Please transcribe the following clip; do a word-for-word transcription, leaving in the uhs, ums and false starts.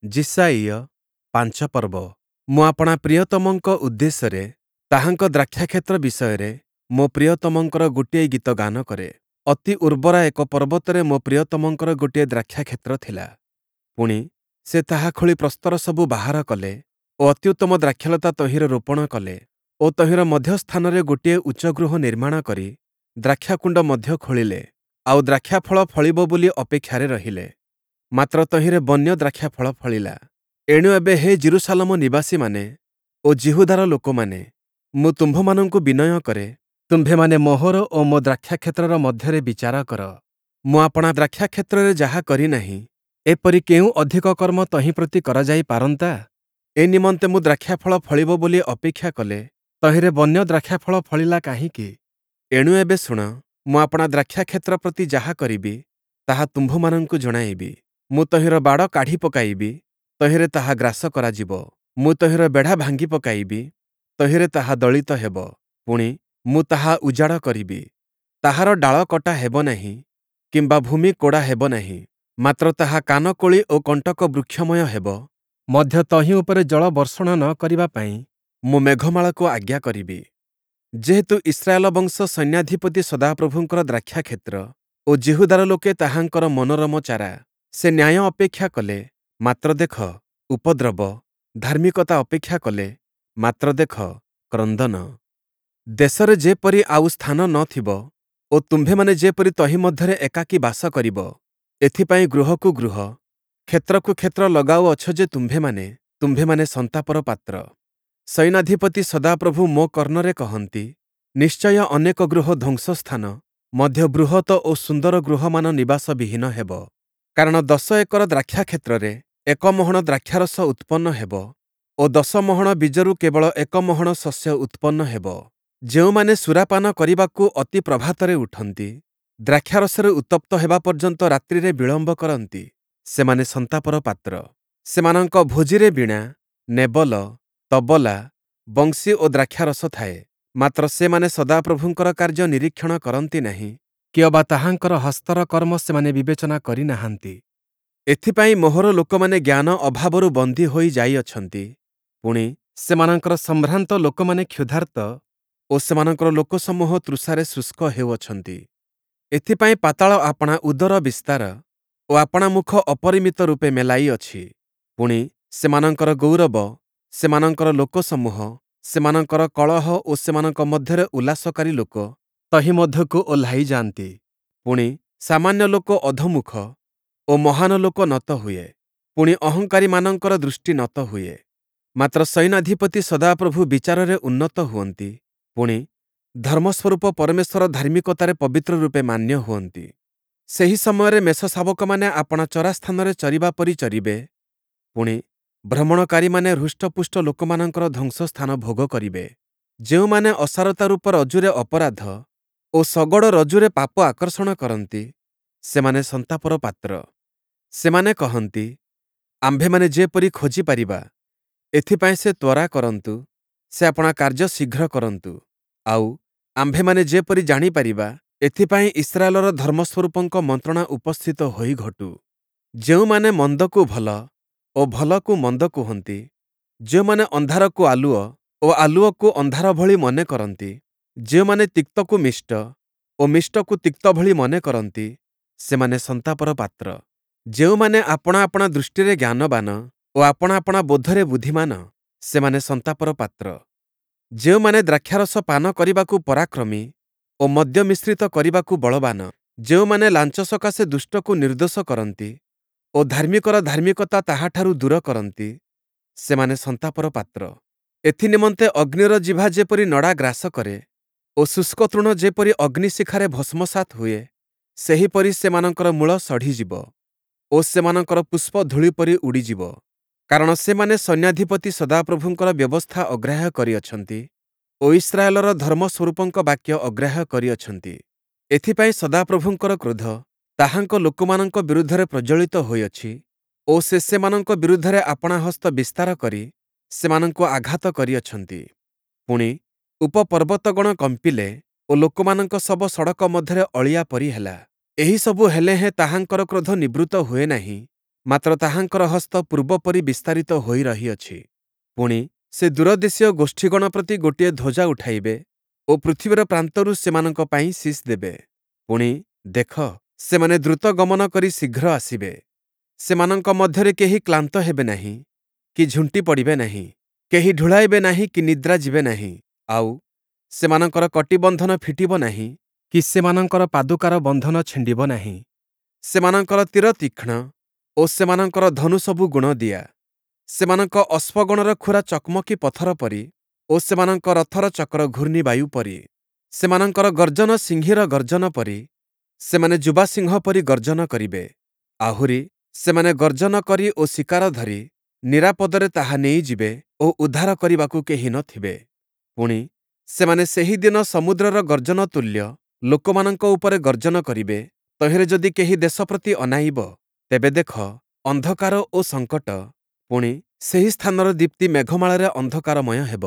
ଯିଶାଇୟ ପାଞ୍ଚ ପର୍ବ। ମୁଁ ଆପଣା ପ୍ରିୟତମଙ୍କ ଉଦ୍ଦେଶ୍ୟରେ ତାହାଙ୍କ ଦ୍ରାକ୍ଷାକ୍ଷେତ୍ର ବିଷୟରେ ମୋ ପ୍ରିୟତମଙ୍କର ଗୋଟିଏ ଗୀତ ଗାନ କରେ। ଅତି ଉର୍ବରା ଏକ ପର୍ବତରେ ମୋ ପ୍ରିୟତମଙ୍କର ଗୋଟିଏ ଦ୍ରାକ୍ଷାକ୍ଷେତ୍ର ଥିଲା। ପୁଣି, ସେ ତାହା ଖୋଳି ପ୍ରସ୍ତର ସବୁ ବାହାର କଲେ ଓ ଅତ୍ୟୁତ୍ତମ ଦ୍ରାକ୍ଷାଲତା ତହିଁରେ ରୋପଣ କଲେ ଓ ତହିଁର ମଧ୍ୟସ୍ଥାନରେ ଗୋଟିଏ ଉଚ୍ଚ ଗୃହ ନିର୍ମାଣ କରି ଦ୍ରାକ୍ଷାକୁଣ୍ଡ ମଧ୍ୟ ଖୋଳିଲେ, ଆଉ ଦ୍ରାକ୍ଷାଫଳ ଫଳିବ ବୋଲି ଅପେକ୍ଷାରେ ରହିଲେ। ମାତ୍ର ତହିଁରେ ବନ୍ୟ ଦ୍ରାକ୍ଷାଫଳ ଫଳିଲା। ଏଣୁ ଏବେ ହେ ଯିରୂଶାଲମ ନିବାସୀମାନେ ଓ ଯିହୁଦାର ଲୋକମାନେ, ମୁଁ ତୁମ୍ଭମାନଙ୍କୁ ବିନୟ କରେ, ତୁମ୍ଭେମାନେ ମୋହର ଓ ମୋ ଦ୍ରାକ୍ଷାକ୍ଷେତ୍ରର ମଧ୍ୟରେ ବିଚାର କର। ମୁଁ ଆପଣା ଦ୍ରାକ୍ଷାକ୍ଷେତ୍ରରେ ଯାହା କରି ନାହିଁ, ଏପରି କେଉଁ ଅଧିକ କର୍ମ ତହିଁ ପ୍ରତି କରାଯାଇ ପାରନ୍ତା? ଏ ନିମନ୍ତେ ମୁଁ ଦ୍ରାକ୍ଷାଫଳ ଫଳିବ ବୋଲି ଅପେକ୍ଷା କଲେ, ତହିଁରେ ବନ୍ୟ ଦ୍ରାକ୍ଷାଫଳ ଫଳିଲା କାହିଁକି? ଏଣୁ ଏବେ ଶୁଣ, ମୁଁ ଆପଣା ଦ୍ରାକ୍ଷାକ୍ଷେତ୍ର ପ୍ରତି ଯାହା କରିବି, ତାହା ତୁମ୍ଭମାନଙ୍କୁ ଜଣାଇବି। ମୁଁ ତହିଁର ବାଡ଼ କାଢ଼ି ପକାଇବି, ତହିଁରେ ତାହା ଗ୍ରାସ କରାଯିବ। ମୁଁ ତହିଁର ବେଢ଼ା ଭାଙ୍ଗି ପକାଇବି, ତହିଁରେ ତାହା ଦଳିତ ହେବ। ପୁଣି, ମୁଁ ତାହା ଉଜାଡ଼ କରିବି। ତାହାର ଡାଳ କଟା ହେବ ନାହିଁ କିମ୍ବା ଭୂମି କୋଡ଼ା ହେବ ନାହିଁ, ମାତ୍ର ତାହା କାନକୋଳି ଓ କଣ୍ଟକ ବୃକ୍ଷମୟ ହେବ। ମଧ୍ୟ ତହିଁ ଉପରେ ଜଳ ବର୍ଷଣ ନ କରିବା ପାଇଁ ମୁଁ ମେଘମାଳାକୁ ଆଜ୍ଞା କରିବି। ଯେହେତୁ ଇସ୍ରାଏଲ ବଂଶ ସୈନ୍ୟାଧିପତି ସଦାପ୍ରଭୁଙ୍କର ଦ୍ରାକ୍ଷାକ୍ଷେତ୍ର ଓ ଯିହୁଦାର ଲୋକେ ତାହାଙ୍କର ମନୋରମ ଚାରା, ସେ ନ୍ୟାୟ ଅପେକ୍ଷା କଲେ, ମାତ୍ର ଦେଖ, ଉପଦ୍ରବ, ଧାର୍ମିକତା ଅପେକ୍ଷା କଲେ, ମାତ୍ର ଦେଖ, କ୍ରନ୍ଦନ। ଦେଶରେ ଯେପରି ଆଉ ସ୍ଥାନ ନ ଥିବ ଓ ତୁମ୍ଭେମାନେ ଯେପରି ତହିଁ ମଧ୍ୟରେ ଏକାକୀ ବାସ କରିବ, ଏଥିପାଇଁ ଗୃହକୁ ଗୃହ, କ୍ଷେତ୍ରକୁ କ୍ଷେତ୍ର ଲଗାଉଅଛ ଯେ ତୁମ୍ଭେମାନେ, ତୁମ୍ଭେମାନେ ସନ୍ତାପର ପାତ୍ର। ସୈନ୍ୟାଧିପତି ସଦାପ୍ରଭୁ ମୋ କର୍ଣ୍ଣରେ କହନ୍ତି, ନିଶ୍ଚୟ ଅନେକ ଗୃହ ଧ୍ୱଂସସ୍ଥାନ, ମଧ୍ୟ ବୃହତ ଓ ସୁନ୍ଦର ଗୃହମାନ ନିବାସବିହୀନ ହେବ। କାରଣ ଦଶ ଏକର ଦ୍ରାକ୍ଷାକ୍ଷେତ୍ରରେ ଏକ ମହଣ ଦ୍ରାକ୍ଷାରସ ଉତ୍ପନ୍ନ ହେବ ଓ ଦଶ ମହଣ ବୀଜରୁ କେବଳ ଏକ ମହଣ ଶସ୍ୟ ଉତ୍ପନ୍ନ ହେବ। ଯେଉଁମାନେ ସୁରାପାନ କରିବାକୁ ଅତି ପ୍ରଭାତରେ ଉଠନ୍ତି, ଦ୍ରାକ୍ଷାରସରେ ଉତ୍ତପ୍ତ ହେବା ପର୍ଯ୍ୟନ୍ତ ରାତ୍ରିରେ ବିଳମ୍ବ କରନ୍ତି, ସେମାନେ ସନ୍ତାପର ପାତ୍ର। ସେମାନଙ୍କ ଭୋଜିରେ ବୀଣା, ନେବଲ, ତବଲା, ବଂଶୀ ଓ ଦ୍ରାକ୍ଷାରସ ଥାଏ, ମାତ୍ର ସେମାନେ ସଦାପ୍ରଭୁଙ୍କର କାର୍ଯ୍ୟ ନିରୀକ୍ଷଣ କରନ୍ତି ନାହିଁ, କିଅବା ତାହାଙ୍କର ହସ୍ତର କର୍ମ ସେମାନେ ବିବେଚନା କରି ନାହାନ୍ତି। ଏଥିପାଇଁ ମୋହର ଲୋକମାନେ ଜ୍ଞାନ ଅଭାବରୁ ବନ୍ଦୀ ହୋଇ ଯାଇଅଛନ୍ତି, ପୁଣି, ସେମାନଙ୍କର ସମ୍ଭ୍ରାନ୍ତ ଲୋକମାନେ କ୍ଷୁଧାର୍ତ୍ତ ଓ ସେମାନଙ୍କର ଲୋକସମୂହ ତୃଷାରେ ଶୁଷ୍କ ହେଉଅଛନ୍ତି। ଏଥିପାଇଁ ପାତାଳ ଆପଣା ଉଦର ବିସ୍ତାର ଓ ଆପଣା ମୁଖ ଅପରିମିତ ରୂପେ ମେଲାଇଅଛି। ପୁଣି, ସେମାନଙ୍କର ଗୌରବ, ସେମାନଙ୍କର ଲୋକସମୂହ, ସେମାନଙ୍କର କଳହ ଓ ସେମାନଙ୍କ ମଧ୍ୟରେ ଉଲ୍ଲାସକାରୀ ଲୋକ ତହିଁ ମଧ୍ୟକୁ ଓହ୍ଲାଇ ଯାଆନ୍ତି। ପୁଣି, ସାମାନ୍ୟ ଲୋକ ଅଧୋମୁଖ ଓ ମହାନ ଲୋକ ନତ ହୁଏ। ପୁଣି, ଅହଙ୍କାରୀମାନଙ୍କର ଦୃଷ୍ଟି ନତ ହୁଏ। ମାତ୍ର ସୈନ୍ୟାଧିପତି ସଦାପ୍ରଭୁ ବିଚାରରେ ଉନ୍ନତ ହୁଅନ୍ତି, ପୁଣି, ଧର୍ମସ୍ୱରୂପ ପରମେଶ୍ୱର ଧାର୍ମିକତାରେ ପବିତ୍ର ରୂପେ ମାନ୍ୟ ହୁଅନ୍ତି। ସେହି ସମୟରେ ମେଷଶାବକମାନେ ଆପଣା ଚରାସ୍ଥାନରେ ଚରିବା ପରି ଚରିବେ, ପୁଣି, ଭ୍ରମଣକାରୀମାନେ ହୃଷ୍ଟପୁଷ୍ଟ ଲୋକମାନଙ୍କର ଧ୍ୱଂସସ୍ଥାନ ଭୋଗ କରିବେ। ଯେଉଁମାନେ ଅସାରତା ରୂପ ରଜ୍ଜୁରେ ଅପରାଧ ଓ ଶଗଡ଼ ରଜ୍ଜୁରେ ପାପ ଆକର୍ଷଣ କରନ୍ତି, ସେମାନେ ସନ୍ତାପର ପାତ୍ର। ସେମାନେ କହନ୍ତି, ଆମ୍ଭେମାନେ ଯେପରି ଖୋଜି ପାରିବା, ଏଥିପାଇଁ ସେ ତ୍ୱରା କରନ୍ତୁ, ସେ ଆପଣା କାର୍ଯ୍ୟ ଶୀଘ୍ର କରନ୍ତୁ, ଆଉ ଆମ୍ଭେମାନେ ଯେପରି ଜାଣିପାରିବା, ଏଥିପାଇଁ ଇସ୍ରାଏଲର ଧର୍ମସ୍ୱରୂପଙ୍କ ମନ୍ତ୍ରଣା ଉପସ୍ଥିତ ହୋଇ ଘଟୁ। ଯେଉଁମାନେ ମନ୍ଦକୁ ଭଲ ଓ ଭଲକୁ ମନ୍ଦ କୁହନ୍ତି, ଯେଉଁମାନେ ଅନ୍ଧାରକୁ ଆଲୁଅ ଓ ଆଲୁଅକୁ ଅନ୍ଧାର ଭଳି ମନେ କରନ୍ତି, ଯେଉଁମାନେ ତିକ୍ତକୁ ମିଷ୍ଟ ଓ ମିଷ୍ଟକୁ ତିକ୍ତ ଭଳି ମନେ କରନ୍ତି, ସେମାନେ ସନ୍ତାପର ପାତ୍ର। ଯେଉଁମାନେ ଆପଣା ଆପଣା ଦୃଷ୍ଟିରେ ଜ୍ଞାନବାନ ଓ ଆପଣା ଆପଣା ବୋଧରେ ବୁଦ୍ଧିମାନ, ସେମାନେ ସନ୍ତାପର ପାତ୍ର। ଯେଉଁମାନେ ଦ୍ରାକ୍ଷାରସ ପାନ କରିବାକୁ ପରାକ୍ରମୀ ଓ ମଦ୍ୟ ମିଶ୍ରିତ କରିବାକୁ ବଳବାନ, ଯେଉଁମାନେ ଲାଞ୍ଚ ସକାଶେ ଦୁଷ୍ଟକୁ ନିର୍ଦ୍ଦୋଷ କରନ୍ତି ଓ ଧାର୍ମିକର ଧାର୍ମିକତା ତାହାଠାରୁ ଦୂର କରନ୍ତି, ସେମାନେ ସନ୍ତାପର ପାତ୍ର। ଏଥିନିମନ୍ତେ ଅଗ୍ନିର ଜିଭା ଯେପରି ନଡ଼ା ଗ୍ରାସ କରେ ଓ ଶୁଷ୍କ ତୃଣ ଯେପରି ଅଗ୍ନିଶିଖାରେ ଭସ୍ମସାତ୍ ହୁଏ, ସେହିପରି ସେମାନଙ୍କର ମୂଳ ସଢ଼ିଯିବ ଓ ସେମାନଙ୍କର ପୁଷ୍ପ ଧୂଳି ପରି ଉଡ଼ିଯିବ। କାରଣ ସେମାନେ ସୈନ୍ୟାଧିପତି ସଦାପ୍ରଭୁଙ୍କର ବ୍ୟବସ୍ଥା ଅଗ୍ରାହ୍ୟ କରିଅଛନ୍ତି ଓ ଇସ୍ରାଏଲର ଧର୍ମସ୍ୱରୂପଙ୍କ ବାକ୍ୟ ଅଗ୍ରାହ୍ୟ କରିଅଛନ୍ତି। ଏଥିପାଇଁ ସଦାପ୍ରଭୁଙ୍କର କ୍ରୋଧ ତାହାଙ୍କ ଲୋକମାନଙ୍କ ବିରୁଦ୍ଧରେ ପ୍ରଜ୍ୱଳିତ ହୋଇଅଛି ଓ ସେ ସେମାନଙ୍କ ବିରୁଦ୍ଧରେ ଆପଣା ହସ୍ତ ବିସ୍ତାର କରି ସେମାନଙ୍କୁ ଆଘାତ କରିଅଛନ୍ତି। ପୁଣି, ଉପପର୍ବତଗଣ କମ୍ପିଲେ ଓ ଲୋକମାନଙ୍କ ଶବ ସଡ଼କ ମଧ୍ୟରେ ଅଳିଆ ପରି ହେଲା। ଏହିସବୁ ହେଲେ ହେଁ ତାହାଙ୍କର କ୍ରୋଧ ନିବୃତ୍ତ ହୁଏ ନାହିଁ, ମାତ୍ର ତାହାଙ୍କର ହସ୍ତ ପୂର୍ବପରି ବିସ୍ତାରିତ ହୋଇ ରହିଅଛି। ପୁଣି, ସେ ଦୂରଦେଶୀୟ ଗୋଷ୍ଠୀଗଣ ପ୍ରତି ଗୋଟିଏ ଧ୍ୱଜା ଉଠାଇବେ ଓ ପୃଥିବୀର ପ୍ରାନ୍ତରୁ ସେମାନଙ୍କ ପାଇଁ ଶୀଷ୍ ଦେବେ। ପୁଣି, ଦେଖ, ସେମାନେ ଦ୍ରୁତ ଗମନ କରି ଶୀଘ୍ର ଆସିବେ। ସେମାନଙ୍କ ମଧ୍ୟରେ କେହି କ୍ଳାନ୍ତ ହେବେ ନାହିଁ କି ଝୁଣ୍ଟି ପଡ଼ିବେ ନାହିଁ, କେହି ଢୁଳାଇବେ ନାହିଁ କି ନିଦ୍ରା ଯିବେ ନାହିଁ। ଆଉ, ସେମାନଙ୍କର କଟିବନ୍ଧନ ଫିଟିବ ନାହିଁ କି ସେମାନଙ୍କର ପାଦୁକାର ବନ୍ଧନ ଛିଣ୍ଡିବ ନାହିଁ। ସେମାନଙ୍କର ତୀର ତୀକ୍ଷ୍ଣ ଓ ସେମାନଙ୍କର ଧନୁସବୁ ଗୁଣଦିଆ। ସେମାନଙ୍କ ଅଶ୍ୱଗଣର ଖୁରା ଚକମକି ପଥର ପରି ଓ ସେମାନଙ୍କ ରଥର ଚକ୍ର ଘୂର୍ଣ୍ଣିବାୟୁ ପରି। ସେମାନଙ୍କର ଗର୍ଜନ ସିଂହୀର ଗର୍ଜନ ପରି, ସେମାନେ ଯୁବା ସିଂହ ପରି ଗର୍ଜନ କରିବେ। ଆହୁରି, ସେମାନେ ଗର୍ଜନ କରି ଓ ଶିକାର ଧରି ନିରାପଦରେ ତାହା ନେଇଯିବେ ଓ ଉଦ୍ଧାର କରିବାକୁ କେହି ନ ଥିବେ। ପୁଣି, ସେମାନେ ସେହି ଦିନ ସମୁଦ୍ରର ଗର୍ଜନ ତୁଲ୍ୟ ଲୋକମାନଙ୍କ ଉପରେ ଗର୍ଜନ କରିବେ। ତହିଁରେ ଯଦି କେହି ଦେଶ ପ୍ରତି ଅନାଇବ, ତେବେ ଦେଖ, ଅନ୍ଧକାର ଓ ସଙ୍କଟ, ପୁଣି, ସେହି ସ୍ଥାନର ଦୀପ୍ତି ମେଘମାଳାରେ ଅନ୍ଧକାରମୟ ହେବ।